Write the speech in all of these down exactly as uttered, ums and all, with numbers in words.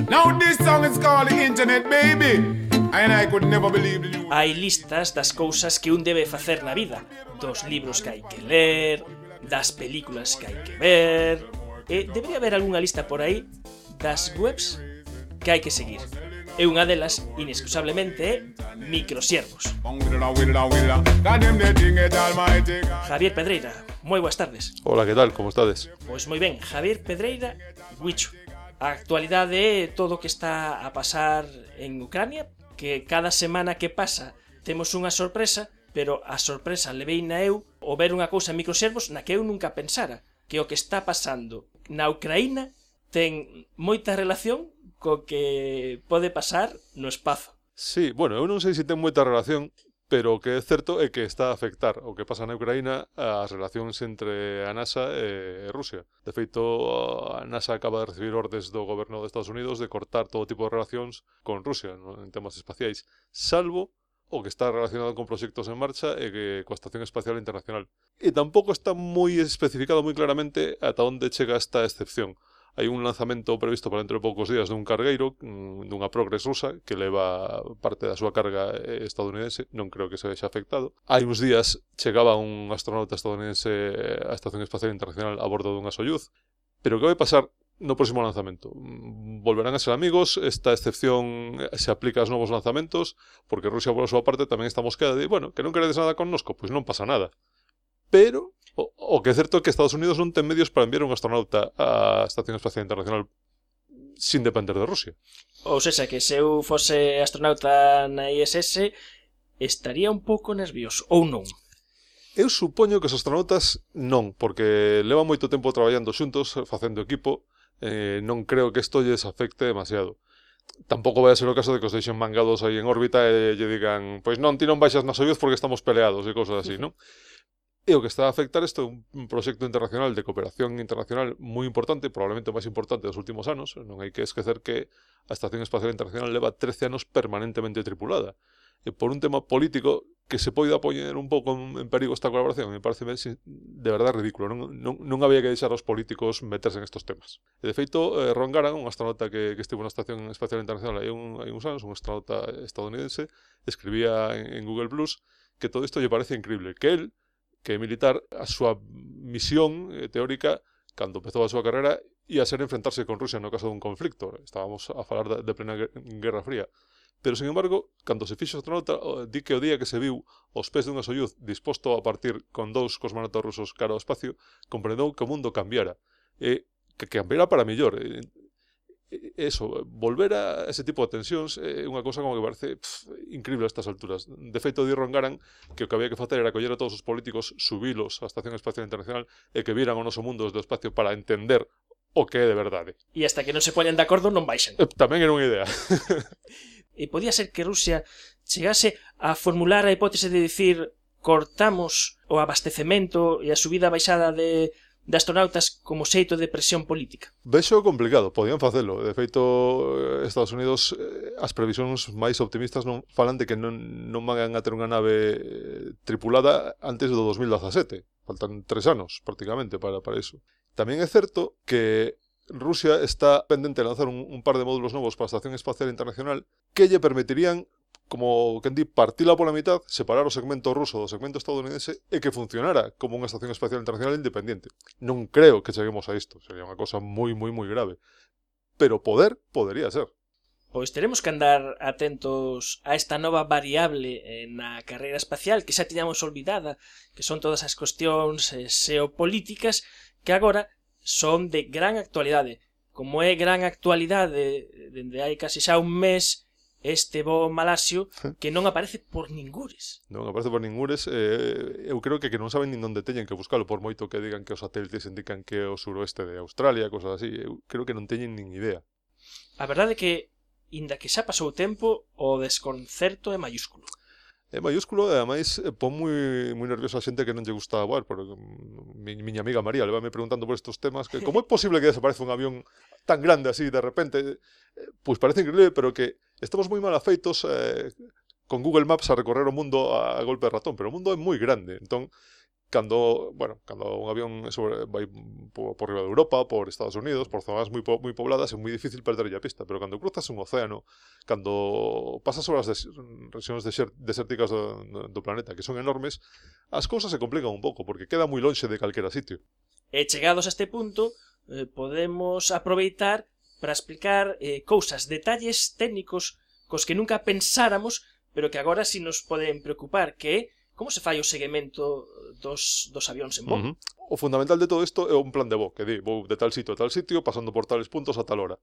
Now this song is called the Internet Baby, and I could never believe the news. Hai listas das cousas que un debe facer na vida, dos libros que hai que ler, das películas que hai que ver, e debería haber algunha lista por aí das webs que hai que seguir. E unha delas, inexcusablemente, é Microsiervos. Javier Pedreira, moi boas tardes. Hola, que tal? Como estades? Pois moi ben, Javier Pedreira, Huicho. A actualidade é todo o que está a pasar en Ucrania, que cada semana que pasa temos unha sorpresa, pero a sorpresa leveina eu o ver unha cousa en Microsiervos na que eu nunca pensara, que o que está pasando na Ucraína ten moita relación co que pode pasar no espazo. Sí, bueno, eu non sei se ten moita relación, pero o que é certo é que está a afectar o que pasa na Ucraína as relacións entre a NASA e Rusia. De feito, a NASA acaba de recibir ordes do goberno de Estados Unidos de cortar todo tipo de relacións con Rusia, ¿no?, en temas espaciais, salvo o que está relacionado con proxectos en marcha e que coa Estación Espacial Internacional. E tampouco está moi especificado moi claramente ata onde chega esta excepción. Hai un lanzamento previsto para dentro de poucos días dun cargueiro, dunha Progress rusa, que leva parte da súa carga estadounidense, non creo que se vexa afectado. Hai uns días chegaba un astronauta estadounidense á Estación Espacial Internacional a bordo dunha Soyuz, pero que vai pasar no próximo lanzamento? Volverán a ser amigos, esta excepción se aplica aos novos lanzamentos, porque Rusia, por a súa parte, tamén está mosqueada de, bueno, que non queredes nada connosco, pois non pasa nada. Pero o, o que é certo é que Estados Unidos non ten medios para enviar un astronauta á Estación Espacial Internacional sin depender de Rusia. Ou seja, que se eu fose astronauta na I S S estaría un pouco nervioso, ou non? Eu supoño que os astronautas non, porque levan moito tempo traballando xuntos, facendo equipo, eh, non creo que isto lles afecte demasiado. Tampouco vai a ser o caso de que os deixen mangados aí en órbita e lle digan, pois non, ti non baixas na Soyuz porque estamos peleados e cosas así, non? E o que está a afectar isto é un proxecto internacional de cooperación internacional moi importante, probablemente o máis importante dos últimos anos. Non hai que esquecer que a Estación Espacial Internacional leva trece anos permanentemente tripulada. E por un tema político que se poida poñer un pouco en perigo esta colaboración, me parece de verdade ridículo. Non, non, non había que deixar aos políticos meterse en estos temas. E de feito, eh, Ron Garan, un astronauta que, que estivo na Estación Espacial Internacional hai, un, hai uns anos, un astronauta estadounidense, escribía en, en Google Plus que todo isto lle parece increíble, que él, que é militar, a súa misión eh, teórica, cando empezou a súa carreira, ia ser enfrentarse con Rusia no caso dun conflicto. Estábamos a falar de, de plena Guerra Fría. Pero, sin embargo, cando se fixo astronauta, di que o día que se viu aos pés dunha Soyuz disposto a partir con dous cosmonautas rusos cara ao espacio, comprendeu que o mundo cambiara. E que cambiara para mellor. E, eso, volver a ese tipo de tensións é unha cousa como que parece pff, increíble a estas alturas. De feito, di Ron Garan que o que había que facer era coller a todos os políticos, subilos á Estación Espacial Internacional e que viran o noso mundo desde o espacio para entender o que é de verdade. E hasta que non se poñan de acordo non baixan. Tamén era unha idea. E podía ser que Rusia chegase a formular a hipótese de dicir cortamos o abastecemento e a subida baixada de de astronautas como xeito de presión política. Vexo complicado, podían facelo. De feito, Estados Unidos, as previsións máis optimistas non falan de que non, non van a ter unha nave tripulada antes do dos mil dezasete. Faltan tres anos, prácticamente, para, para iso. Tamén é certo que Rusia está pendente de lanzar un, un par de módulos novos para a Estación Espacial Internacional que lle permitirían, como quen di, partila pola mitad, separar o segmento ruso do segmento estadounidense e que funcionara como unha Estación Espacial Internacional independiente. Non creo que cheguemos a isto, sería unha cosa moi, moi, moi grave. Pero poder, podería ser. Pois teremos que andar atentos a esta nova variable na carreira espacial que xa tiñamos olvidada, que son todas as cuestións xeopolíticas que agora son de gran actualidade. Como é gran actualidade dende hai casi xa un mes este voo malasio que non aparece por ningures. Non aparece por ningures. Eh, eu creo que, que non saben nin onde teñen que buscalo, por moito que digan que os satélites indican que é o suroeste de Australia, cosas así. Eu creo que non teñen nin idea. A verdade é que, inda que xa pasou o tempo, o desconcerto é mayúsculo. É mayúsculo e, ademais, pon moi, moi nerviosa a xente que non lle gusta voar. Porque mi, miña amiga María le me preguntando por estos temas que como é posible que desaparece un avión tan grande así de repente. Pois parece increíble, pero que estamos moi mal afeitos eh, con Google Maps a recorrer o mundo a, a golpe de ratón, pero o mundo é moi grande. Entón, cando, bueno, cando un avión sobre, vai por, por riba de Europa, por Estados Unidos, por zonas moi, po, moi pobladas, é moi difícil perder a pista, pero cando cruzas un océano, cando pasas sobre as des, rexións desert, desérticas do, do planeta, que son enormes, as cousas se complican un pouco, porque queda moi lonxe de calquera sitio. E chegados a este punto, eh, podemos aproveitar para explicar eh, cousas, detalles técnicos cos que nunca pensáramos, pero que agora si nos poden preocupar, que é como se fai o seguimento dos, dos avións en voo. Uh -huh. O fundamental de todo isto é un plan de voo, que di, vou de tal sitio a tal sitio, pasando por tales puntos a tal hora.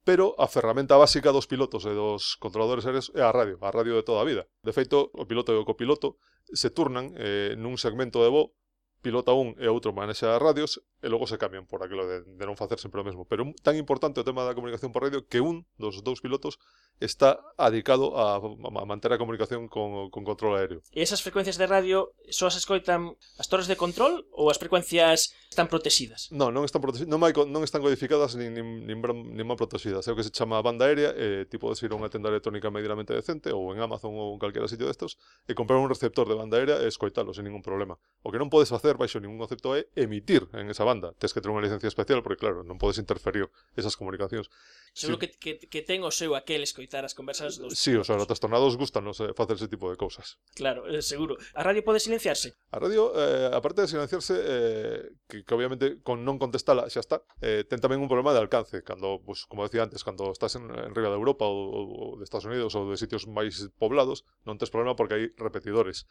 Pero a ferramenta básica dos pilotos e dos controladores aéreos é a radio, a radio de toda a vida. De feito, o piloto e o copiloto se turnan eh, nun segmento de voo, pilota un e outro manexa as radios, e logo se cambian por aquilo de, de non facer sempre o mesmo. Pero tan importante o tema da comunicación por radio que un dos dous pilotos está adicado a, a manter a comunicación con, con control aéreo. E esas frecuencias de radio só as escoitan as torres de control ou as frecuencias están protegidas? Non, non están protegidas, non, hai, non están codificadas nin, nin, nin, nin mal protegidas. É o que se chama banda aérea, e ti podes ir a unha tenda electrónica medianamente decente ou en Amazon ou en calquera sitio destos e comprar un receptor de banda aérea e escoitalo sen ningún problema. O que non podes facer baixo ningún concepto é emitir en esa banda. Tes que ter unha licencia especial porque claro, non podes interferir esas comunicacións. Seguro sí. que, que, que ten o seu aquel escoitar as conversas dos... Sí, os aerotrastornados gustanos eh, facer ese tipo de cousas. Claro, eh, seguro. A radio pode silenciarse? A radio, eh, aparte de silenciarse, eh, que, que obviamente con non contestala xa está, eh, ten tamén un problema de alcance. Cando, pues, como decía antes, cando estás en, en riba de Europa ou, ou de Estados Unidos ou de sitios máis poblados, non tes problema porque hai repetidores.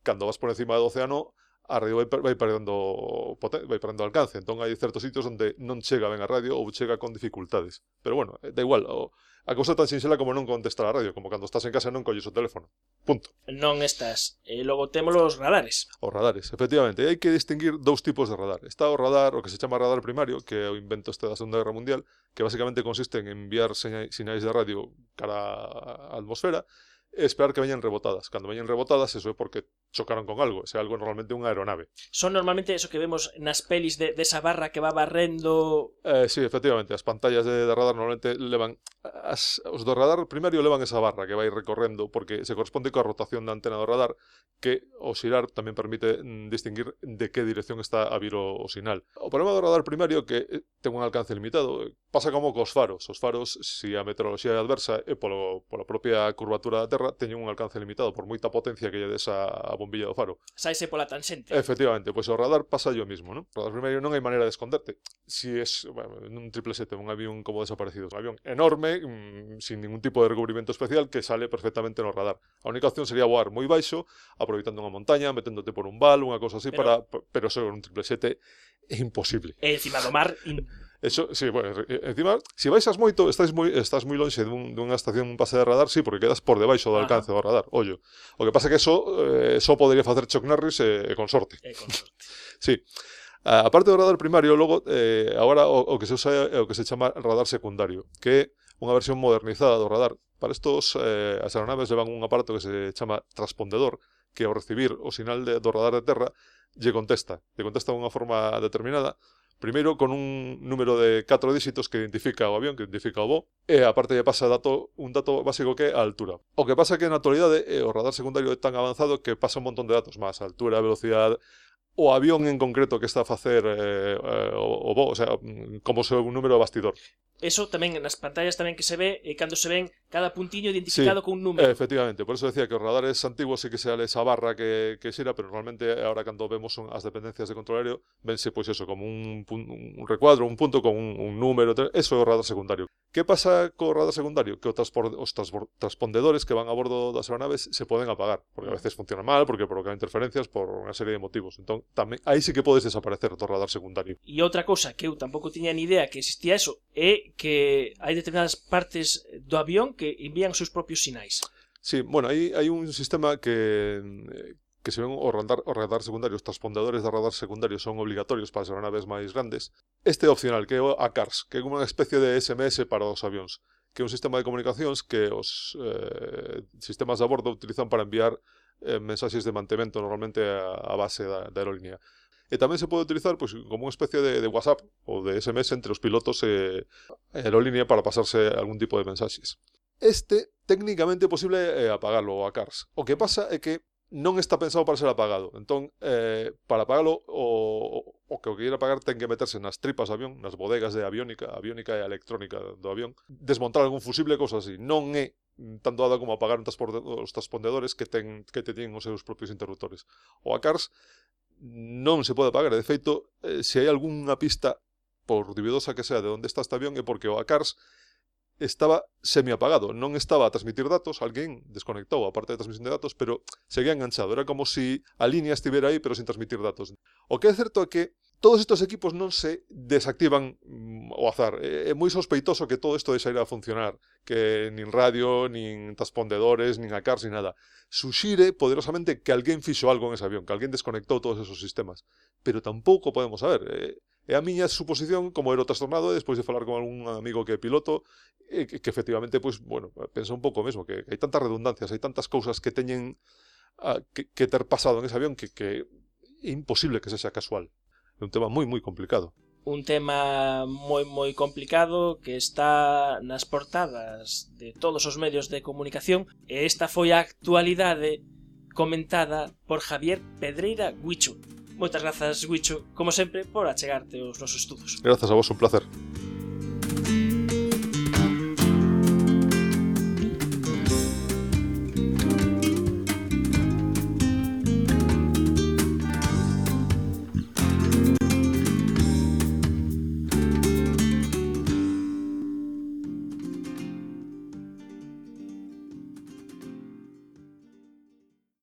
Cando vas por encima do océano, a radio vai, vai perdendo vai perdendo alcance, entón hai certos sitios onde non chega ben a radio ou chega con dificultades. Pero bueno, da igual, o, a cousa tan sinxela como non contestar a radio, como cando estás en casa e non colles o teléfono. Punto. Non estás. E logo temos os radares. Os radares, efectivamente. E hai que distinguir dous tipos de radar. Está o radar, o que se chama radar primario, que é o invento este da Segunda Guerra Mundial, que basicamente consiste en enviar sinais de radio cara á atmosfera e esperar que veñan rebotadas. Cando veñan rebotadas, eso é porque chocaron con algo. Ese algo é normalmente unha aeronave. Son normalmente eso que vemos nas pelis de, de esa barra que va barrendo... Eh, sí, efectivamente. As pantallas de, de radar normalmente levan... As, os do radar primario levan esa barra que vai recorrendo porque se corresponde coa rotación da antena do radar, que o xirar tamén permite mm, distinguir de que dirección está a vir o, o sinal. O problema do radar primario que ten un alcance limitado. Pasa como cos faros. Os faros, se si a meteoroloxía é adversa e polo, pola propia curvatura da Terra, teñen un alcance limitado por moita potencia que lle des a, a bombilla do faro. Saise pola tanxente. Efectivamente, pois o radar pasa yo mismo, non? O radar primario non hai maneira de esconderte. Si es, bueno, un triple sete, un avión como desaparecido, un avión enorme, mmm, sin ningún tipo de recubrimiento especial, que sale perfectamente no radar. A única opción sería voar moi baixo, aproveitando unha montaña, meténdote por un val, unha cousa así, pero, para, pero eso un triple sete é imposible. E encima do mar... In... Eso, sí, bueno, encima, se si baixas moito, estás moi, estás moi lonxe dun, dunha estación, un pase de radar, sí, porque quedas por debaixo do alcance do radar, ollo. O que pasa é que eso, eh, eso podría facer Chuck Norris e, e con sorte. E con sorte. Sí. A parte do radar primario, logo, eh, agora o, o que se usa é o que se chama radar secundario, que é unha versión modernizada do radar. Para estos, eh, as aeronaves levan un aparato que se chama transpondedor, que ao recibir o sinal de, do radar de terra, lle contesta. Lle contesta de unha forma determinada, primeiro con un número de catro dígitos que identifica o avión, que identifica o voo, e aparte lle pasa dato, un dato básico que é a altura. O que pasa é que na actualidade eh, o radar secundario é tan avanzado que pasa un montón de datos máis, a altura, a velocidade, o avión en concreto que está a facer eh, eh, o, o voo, o sea, como se un número de bastidor. Eso tamén nas pantallas tamén que se ve, e cando se ven cada puntiño identificado sí, con un número. Efectivamente, por eso decía que os radares antiguos sí que se ale esa barra que, que xira, pero normalmente ahora cando vemos as dependencias de control aéreo, vense pois eso, como un, un recuadro, un punto con un, un número, eso é o radar secundario. Que pasa co radar secundario? Que os, transpor, os transpondedores que van a bordo das aeronaves se poden apagar, porque a veces funciona mal, porque provocan interferencias por unha serie de motivos. Entón, tamén, aí sí que podes desaparecer do radar secundario. E outra cousa que eu tampouco tiña ni idea que existía eso é que hai determinadas partes do avión que envían os seus propios sinais. Sí, bueno, aí hai un sistema que que se ven o radar, o radar secundario, os transpondedores de radar secundario son obligatorios para as aeronaves máis grandes. Este é opcional, que é o A C A R S, que é como unha especie de S M S para os avións, que é un sistema de comunicacións que os eh, sistemas de a bordo utilizan para enviar eh, mensaxes de mantemento normalmente a, a base da, da aerolínea. E tamén se pode utilizar pois, como unha especie de, de WhatsApp ou de S M S entre os pilotos e a aerolínea para pasarse algún tipo de mensaxes. Este, técnicamente, é posible eh, apagarlo, o A C A R S. O que pasa é que non está pensado para ser apagado. Entón, eh, para apagalo, o, o que o que ir apagar ten que meterse nas tripas do avión, nas bodegas de aviónica, aviónica e electrónica do avión, desmontar algún fusible, cousa así. Non é tanto dada como apagar os transpondedores que ten que te tienen os seus propios interruptores. O A C A R S non se pode apagar. De feito, eh, se hai algunha pista, por dubidosa que sea, de onde está este avión, é porque o A C A R S estaba semi-apagado, non estaba a transmitir datos, alguén desconectou a parte de transmisión de datos, pero seguía enganchado, era como si a línea estivera aí, pero sin transmitir datos. O que é certo é que todos estes equipos non se desactivan mm, ao azar. É, é moi sospeitoso que todo isto deixa ir a funcionar, que nin radio, nin transpondedores, nin A C A R S, nin nada. Suxire poderosamente que alguén fixo algo en ese avión, que alguén desconectou todos esos sistemas, pero tampouco podemos saber. É a miña suposición como aerotrastornado, despois de falar con algún amigo que é piloto, que, que efectivamente, pois, bueno, pensa un pouco mesmo, que hai tantas redundancias, hai tantas cousas que teñen uh, que, que ter pasado en ese avión que, que é imposible que sexa casual. É un tema moi, moi complicado. Un tema moi, moi complicado que está nas portadas de todos os medios de comunicación, e esta foi a actualidade comentada por Javier Pedreira Guicho. Moitas grazas, Guicho, como sempre, por achegarte aos nosos estudos. Grazas a vos, un placer.